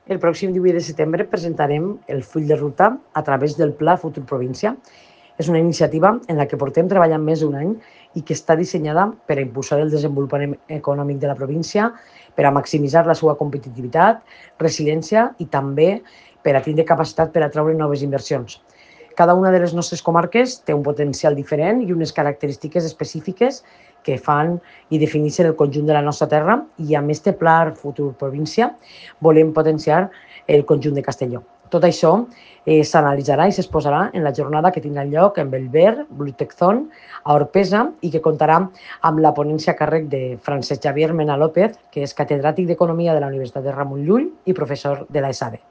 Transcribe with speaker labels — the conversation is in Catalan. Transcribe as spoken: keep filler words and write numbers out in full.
Speaker 1: El pròxim divuit de setembre presentarem el full de ruta a través del Pla Futur Província. És una iniciativa en la que portem treballant més d'un any i que està dissenyada per a impulsar el desenvolupament econòmic de la província, per a maximitzar la seva competitivitat, resiliència i també per a tindre capacitat per a atraure noves inversions. Cada una de les nostres comarques té un potencial diferent i unes característiques específiques que fan i defineixen el conjunt de la nostra terra, i amb este Pla Futur Província volem potenciar el conjunt de Castelló. Tot això eh, s'analitzarà i s'exposarà en la jornada que tindrà lloc en Bellver, Bluteczon, a Orpesa, i que comptarà amb la ponència a càrrec de Francesc Xavier Mena López, que és catedràtic d'Economia de la Universitat de Ramon Llull i professor de la ESADE.